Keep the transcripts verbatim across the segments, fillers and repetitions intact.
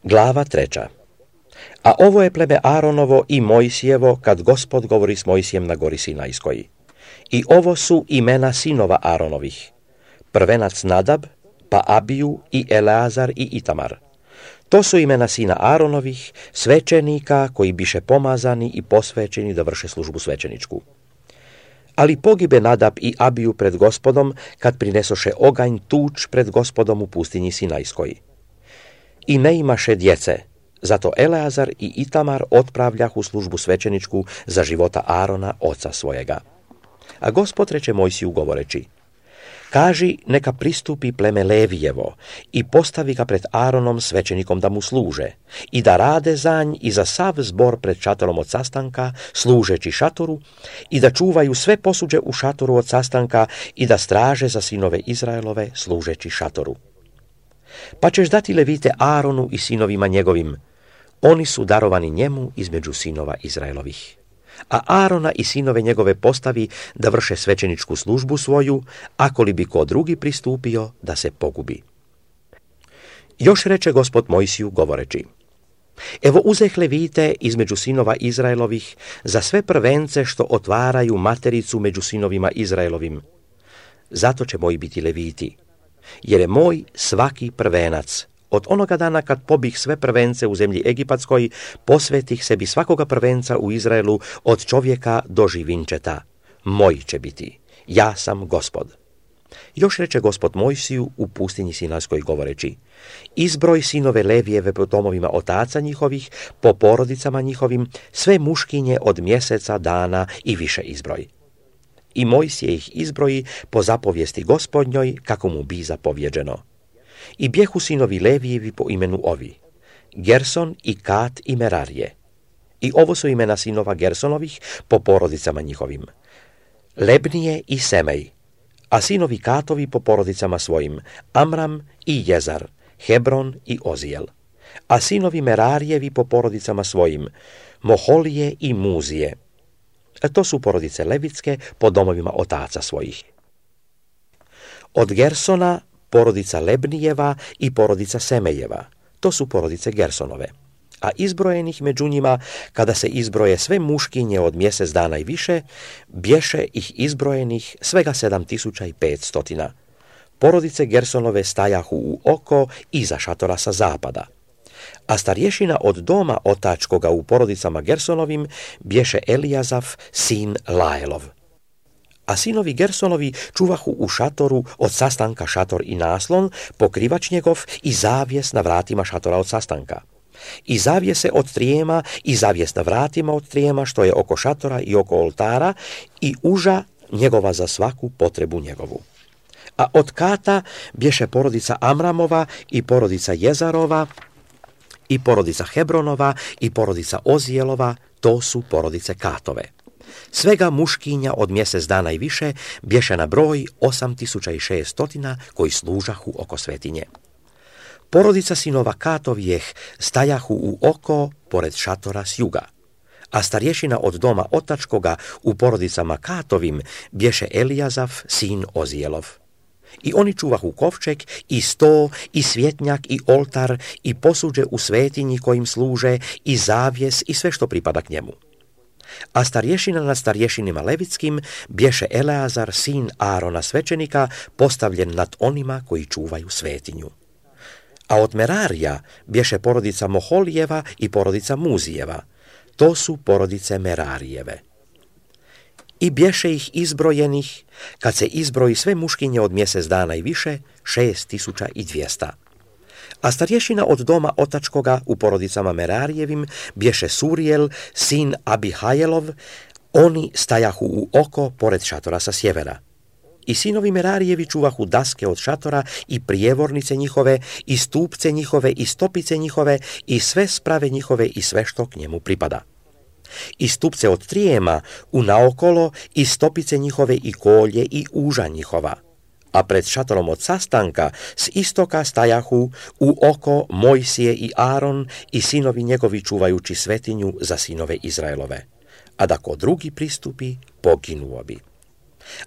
Glava treća. A ovo je pleme Aaronovo i Mojsijevo kad Gospod govori s Mojsijem na gori Sinajskoj. I ovo su imena sinova Aaronovih. Prvenac Nadab, pa Abiju i Eleazar i Itamar. To su imena sina Aaronovih, svećenika koji biše pomazani i posvećeni da vrše službu svećeničku. Ali pogibe Nadab i Abiju pred Gospodom kad prinesoše oganj tuč pred Gospodom u pustinji Sinajskoj. I ne imaše djece, zato Eleazar i Itamar otpravljah u službu svećeničku za života Aarona, oca svojega. A Gospod reče Mojsiju govoreći: Kaži, neka pristupi pleme Levijevo i postavi ga pred Aaronom svećenikom da mu služe i da rade za nj i za sav zbor pred šatorom od sastanka, služeći šatoru, i da čuvaju sve posuđe u šatoru od sastanka i da straže za sinove Izraelove, služeći šatoru. Pa ćeš dati levite Aaronu i sinovima njegovim, oni su darovani njemu između sinova Izraelovih. A Aarona i sinove njegove postavi da vrše svećeničku službu svoju, ako li bi ko drugi pristupio, da se pogubi. Još reče Gospod Mojsiju govoreći: Evo uzeh levite između sinova Izraelovih za sve prvence što otvaraju matericu među sinovima Izraelovim. Zato će moji biti leviti, jer je moj svaki prvenac. Od onoga dana kad pobih sve prvence u zemlji Egipatskoj, posvetih sebi svakoga prvenca u Izraelu od čovjeka do živinčeta. Moj će biti. Ja sam Gospod. Još reče Gospod Mojsiju u pustinji Sinajskoj govoreći: Izbroj sinove Levijeve po domovima otaca njihovih, po porodicama njihovim, sve muškinje od mjeseca, dana i više izbroj. I Mojsije ih izbroji po zapovijesti Gospodnjoj, kako mu bi zapovjeđeno. I bjehu sinovi Levijevi po imenu ovi: Gerson i Kat i Merarije. I ovo su imena sinova Gersonovih po porodicama njihovim: Lebnije i Semej. A sinovi Katovi po porodicama svojim: Amram i Jezar, Hebron i Ozijel. A sinovi Merarijevi po porodicama svojim: Moholije i Muzije. A to su porodice levitske po domovima otaca svojih. Od Gersona porodica Lebnijeva i porodica Semejeva, to su porodice Gersonove. A izbrojenih među njima, kada se izbroje sve muškinje od mjesec dana i više, bješe ih izbrojenih svega sedam tisuća i petstotina. Porodice Gersonove stajahu u oko iza šatora sa zapada. A starješina od doma otačkoga u porodicama Gersonovim bješe Elijazaf, sin Laelov. A sinovi Gersonovi čuvahu u šatoru od sastanka šator i naslon, pokrivač njegov i zavjes na vratima šatora od sastanka. I zavjese od trijema i zavjes na vratima od trijema što je oko šatora i oko oltara i uža njegova za svaku potrebu njegovu. A od Kata bješe porodica Amramova i porodica Jezarova i porodica Hebronova i porodica Ozijelova, to su porodice Katove. Svega muškinja od mjesec dana i više bješe na broj osam tisuća i šeststotina koji služahu oko svetinje. Porodica sinova Katovijeh stajahu u oko pored šatora s juga, a starješina od doma otačkoga u porodicama Katovim bješe Elijazaf, sin Ozijelov. I oni čuvahu kovčeg i sto i svjetnjak i oltar i posuđe u svetinji kojim služe i zavjes i sve što pripada k njemu. A starješina nad starješinima levitskim bješe Eleazar, sin Aarona svećenika, postavljen nad onima koji čuvaju svetinju. A od Merarija bješe porodica Moholijeva i porodica Muzijeva, to su porodice Merarijeve. I bješe ih izbrojenih, kad se izbroji sve muškinje od mjesec dana i više, šest tisuća i dvjesta. A starješina od doma otačkoga u porodicama Merarijevim bješe Surijel, sin Abihajelov, oni stajahu u oko pored šatora sa sjevera. I sinovi Merarijevi čuvahu daske od šatora i prijevornice njihove, i stupce njihove, i stopice njihove, i sve sprave njihove i sve što k njemu pripada. I stupce od trijema u naokolo, i stopice njihove, i kolje, i uža njihova. A pred šatorom od sastanka s istoka stajahu u oko Mojsije i Aaron i sinovi njegovi čuvajući svetinju za sinove Izraelove. A da ko drugi pristupi, poginuo bi.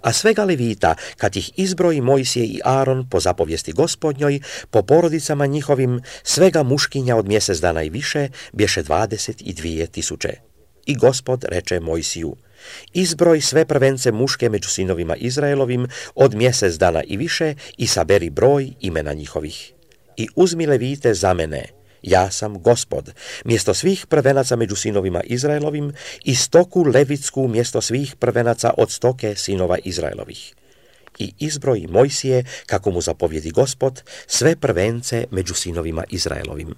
A svega levita, kad ih izbroji Mojsije i Aron po zapovijesti Gospodnjoj, po porodicama njihovim, svega muškinja od mjesec dana i više, bješe dvadeset i dvije tisuće. I Gospod reče Mojsiju: izbroj sve prvence muške među sinovima Izraelovim od mjesec dana i više i saberi broj imena njihovih. I uzmi levite za mene, ja sam Gospod, mjesto svih prvenaca među sinovima Izraelovim i stoku levitsku mjesto svih prvenaca od stoke sinova Izraelovih. I izbroj Mojsije, kako mu zapovjedi Gospod, sve prvence među sinovima Izraelovim.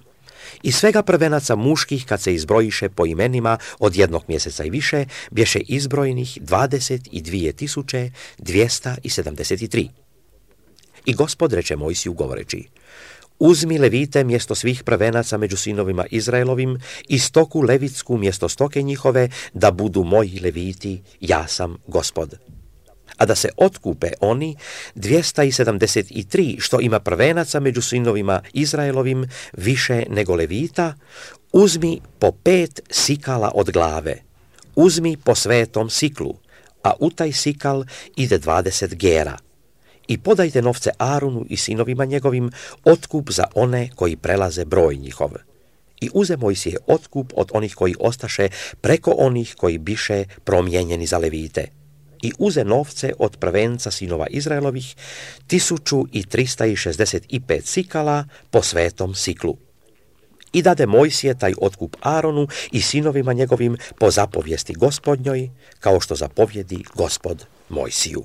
I svega prvenaca muških, kad se izbrojiše po imenima od jednog mjeseca i više, bješe izbrojnih dvadeset i dvije tisuće dvjesta sedamdeset tri. I Gospod reče Mojsiju govoreći: uzmi levite mjesto svih prvenaca među sinovima Izraelovim i stoku levitsku mjesto stoke njihove, da budu moji leviti, ja sam Gospod. A da se otkupe oni dvjesto sedamdeset tri što ima prvenaca među sinovima Izraelovim više nego levita, uzmi po pet sikala od glave, uzmi po svetom siklu, a u taj sikal ide dvadeset gera. I podajte novce Arunu i sinovima njegovim, otkup za one koji prelaze broj njihov. I uze Mojsije otkup od onih koji ostaše preko onih koji biše promijenjeni za levite. I uze novce od prvenca sinova Izraelovih, tisuću i trista šezdeset pet sikala po svetom siklu. I dade Mojsije taj otkup Aronu i sinovima njegovim po zapovijesti Gospodnjoj, kao što zapovjedi Gospod Mojsiju.